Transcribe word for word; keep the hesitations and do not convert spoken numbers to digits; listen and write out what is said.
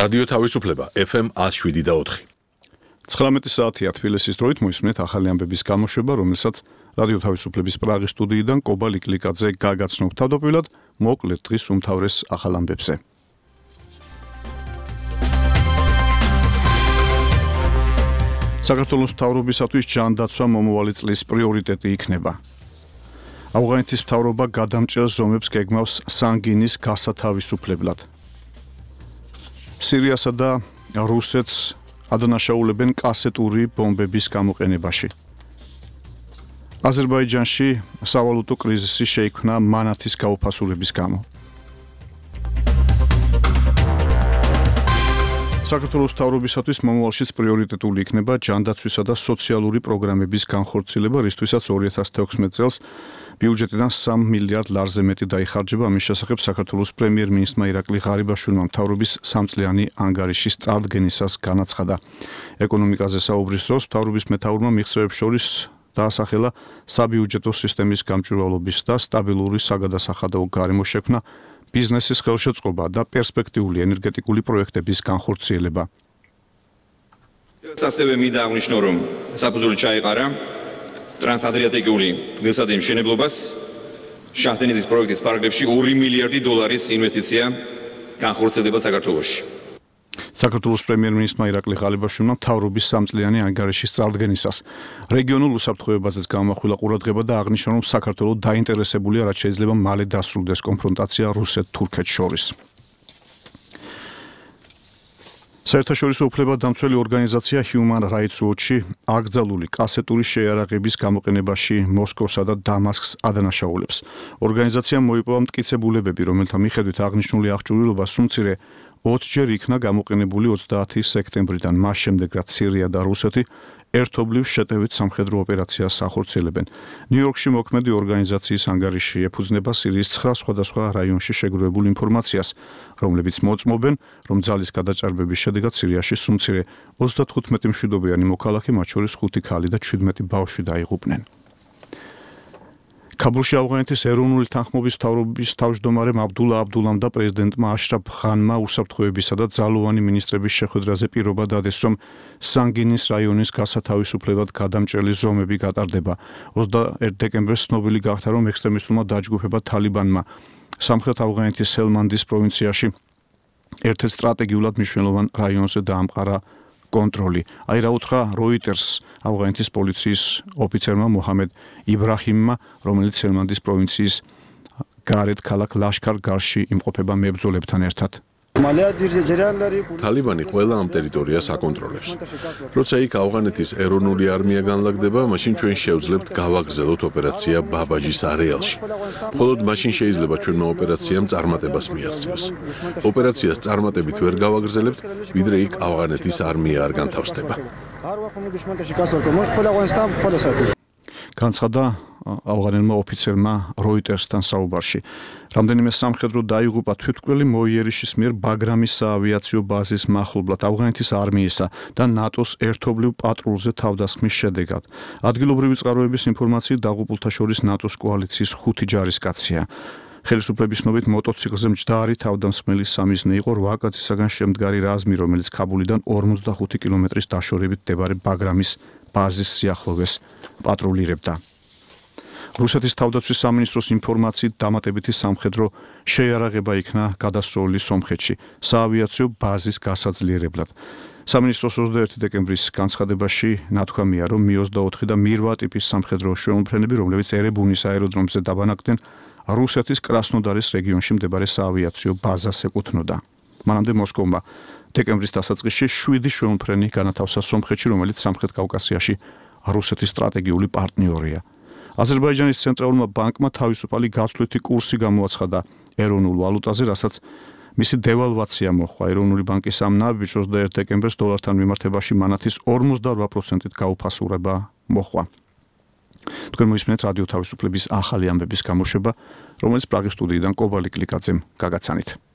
რადიო თავისუფლება ეფ ემ one oh seven და four. ცხრამეტი საათია თბილისის დროით მოისმენთ ახალი ამბების გამოშვება, რომელსაც რადიო თავისუფლების პრაღის სტუდიიდან კობა ლიკლიკაძე გაგაცნობ. თავდაპირველად მოკლედ დღის უმთავრეს ახალ ამბებზე. საქართველოს მთავრობისათვის ჯანდაცვა მომავალი წლის პრიორიტეტი იქნება. ავღანეთის მთავრობა გადამჭრელ ზომებს გეგმავს სანგინის გასათავისუფლებლად. სირიასა და რუსეთს ადანაშაულებენ კასეტური ბომბების გამოყენებაში. აზერბაიჯანში სავალუტო კრიზისი შეიქმნა მანათის გაუფასურების გამო. საქართველოს მთავრობისათვის მომავალშიც პრიორიტეტული იქნება ჯანდაცვისა და სოციალური პროგრამების განხორციელება, რისთვისაც ორი ათას თექვსმეტ წელს ბიუჯეტიდან სამ მილიარდ ლარზე მეტი დაიხარჯება. ამის შესახებ საქართველოს პრემიერ-მინისტრმა ირაკლი ღარიბაშვილმა მთავრობის სამწლიანი ანგარიშის წარდგენისას განაცხადა. ეკონომიკაზე საუბრის დროს მთავრობის მეთაურმა მიღწევებს შორის დაასახელა საბიუჯეტო სისტემის გამჭვირვალობის და სტაბილური საგადასახადო გარემო შექმნა, ბიზნესის ხელშეწყობა და პერსპექტიული ენერგეტიკული პროექტების განხორციელება. ასევე მინდა აღნიშნო, რომ საფუძველი ჩაეყარა ტრანსადრიატიკული გზადი მშენებლობას, შაჰდენიზის პროექტის პარალელში ორი მილიარდი დოლარის ინვესტიცია განხორციელდება საქართველოში. საქართველოს პრემიერ-მინისტრმა ირაკლი ღარიბაშვილმა მთავრობის სამწლიანი ანგარიშის წარდგენისას რეგიონულ უსაფრთხოებაზეც გამახვილა ყურადღება და აღნიშნა, რომ საქართველო დაინტერესებულია, რაც შეიძლება მალე დასრულდეს კონფრონტაცია რუსეთ-თურქეთს შორის. საერთაშორისო უფლებადამცველი ორგანიზაცია Human Rights Watch-ი აკრძალული კასეტური შეიარაღების გამოყენებაში მოსკოვსა და დამასკს ადანაშაულებს. ორგანიზაციამ მოიპოვა მტკიცებულებები, რომელთა მიხედვით აღნიშნული აღჭურვილობა სულ მცირე ოცჯერ იქნა გამოყენებული ოცდაათი სექტემბრიდან, მას შემდეგ რაც სირია და რუსეთი ერთობლივ შეტევით სამხედრო ოპერაციას ახორციელებენ. ნიუ-იორკში მოქმედი ორგანიზაციის ანგარიში ეფუძნება სირიის ცხრა სხვადასხვა რაიონში შეგროვებულ ინფორმაციას, რომლებიც მოწმობენ, რომ ძალის გადაჭარბების შედეგად სირიაში სულ მცირე ოცდათხუთმეტი მშვიდობიანი მოქალაქე, მათ შორის ხუთი ქალი და ჩვიდმეტი ბავშვი დაიღუპნენ. ქაბულში ავღანეთის ეროვნული თანხმობის მთავრობის თავმჯდომარემ აბდულა აბდულამ და პრეზიდენტმა აშრაფ ღანმა უსაფრთხოებისა და ძალოვანი მინისტრების შეხვედრაზე პირობა დადეს, რომ სანგინის რაიონის გასათავისუფლებლად გადამჭრელი ზომები გატარდება. ოცდაერთი დეკემბერს ცნობილი გახდა, რომ ექსტრემისტულმა დაჯგუფება თალიბანმა სამხრეთ ავღანეთის ჰელმანდის პროვინციაში ერთ-ერთ სტრატეგიულად მნიშვნელოვან რაიონზე დაამყარა კონტროლი. აი რა უთხრა როიტერს ავღანეთის პოლიციის ოფიცერმა მოჰამედ იბრაჰიმმა, რომელიც ჰელმანდის პროვინციის გარეთ ქალაქ ლაშქარ-გარში იმყოფება მებრძოლებთან ერთად. თალიბანი ყველა ამ ტერიტორიას აკონტროლებს. როცა იქ ავღანეთის ეროვნული არმია განლაგდება, მაშინ ჩვენ შევძლებთ გავაგრძელოთ ოპერაცია ბაბაჯის არეალში. მხოლოდ მაშინ შეიძლება ჩვენმა ოპერაციამ წარმატებას მიაღწიოს. ოპერაციას წარმატებით ვერ გავაგრძელებთ, ვიდრე იქ ავღანეთის არმია არ განთავსდება. განცხადა ავღანელმა ოფიცერმა როიტერსთან საუბარში. რამდენიმე სამხედრო დაიღუპა თვითმკვლელი მოიერიშის მიერ ბაგრამის საავიაციო ბაზის მახლობლად ავღანეთის არმიისა და ნატოს ერთობლივ პატრულზე თავდასხმის შედეგად. ადგილობრივი წყაროების ინფორმაციით დაღუპულთა შორის ნატოს კოალიციის ხუთი ჯარისკაცია. ხელისუფლების ცნობით მოტოციკლზე მჯდარი თავდამსხმელი სამიზნე იყო რვა კაცისაგან შემდგარი რაზმი, რომელიც ქაბულიდან ორმოცდახუთი კილომეტრის დაშორებით მდებარე ბაგრამის ბაზის სიახლოვეს პატრულირებდა. რუსეთის თავდაცვის სამინისტროს ინფორმაციით დამატებითი სამხედრო შეიარაღება იქნა გადასროლი სომხეთში საავიაციო ბაზის გასაძლიერებლად. სამინისტროს ოცდაერთი დეკემბრის განცხადებაში ნათქვამია, რომ მი ოცდაოთხი და მი რვა ტიპის სამხედრო შეუმფრენები, რომლებიც ერებუნის აეროდრომზე დაბანაკდნენ, რუსეთის კრასნოდარის რეგიონში მდებარე საავიაციო ბაზას ეკუთვნოდა. მანამდე მოსკოვმა დეკემბრის დასაწყისში შვიდი შეუმფრენი განათავსა სომხეთში, რომელიც სამხრეთ კავკასიაში რუსეთის სტრატეგიული პარტნიორია. აზერბაიჯანის ცენტრალურმა ბანკმა თავისუფალი გაცვლითი კურსი გამოაცხადა ეროვნულ ვალუტაზე, რასაც მისი დევალვაცია მოჰყვა. ეროვნული ბანკის ამ ნაბიჯს ოცდაერთი დეკემბერს დოლართან მიმართებაში მანათის ორმოცდარვა პროცენტით გაუფასურება მოჰყვა. თქვენ მოისმენთ რადიო თავისუფლების ახალი ამბების გამოშვება, რომელიც პრაღის სტუდიიდან კობა ლიკლიკაძემ გაგაცანით.